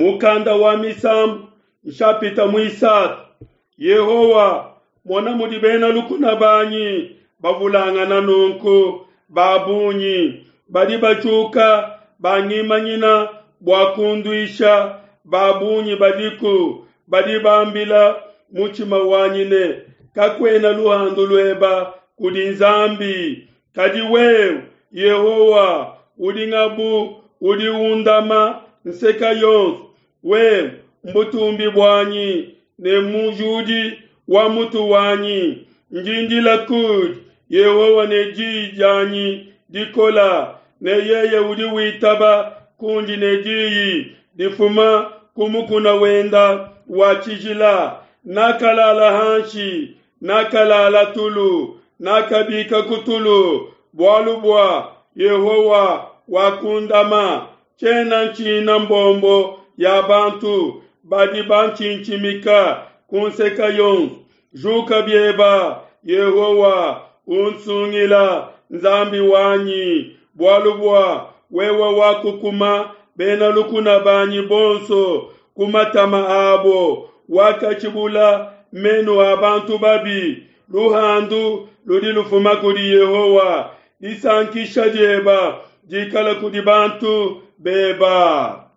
Mukanda wa Misambu nshapita muisatu. Yehowa, mona mudi bena lukuna banyi bavulangana nunku ba bungi, badi batshiuka bangimanyina bua kunduisha. Ba bungi badiku badi bambila mutshima wanyi ne, kakuena luhandu lueba kudi Nzambi. Kadi wewe, Yehowa, udi ngabu udi undama nseka yonso. Wewe mbutumbi buanyi ne mujudi wa mutu wanyi. Ndi ndila kudi Yehowa ne diyi dianyi dikola, ne yeye udi witaba kundi ne diyi difuma ku mukuna wenda wa tshijila. Nakalala hanshi, nakalala tulu, nakabika ku tulu, bualu bua Yehowa wakundama. Tshiena ntshina mbombo ya bantu badi bantshintshimika ku nseka yonso. Juka bieba, Yehowa, unsungila, Nzambi wanyi, bualu bua wewe wakukuma bena lukuna banyi bonso ku matama abo, wakatshibula menu a bantu babi. Luhandu ludi lufuma kudi Yehowa, disankisha dieba dikala kudi bantu beba.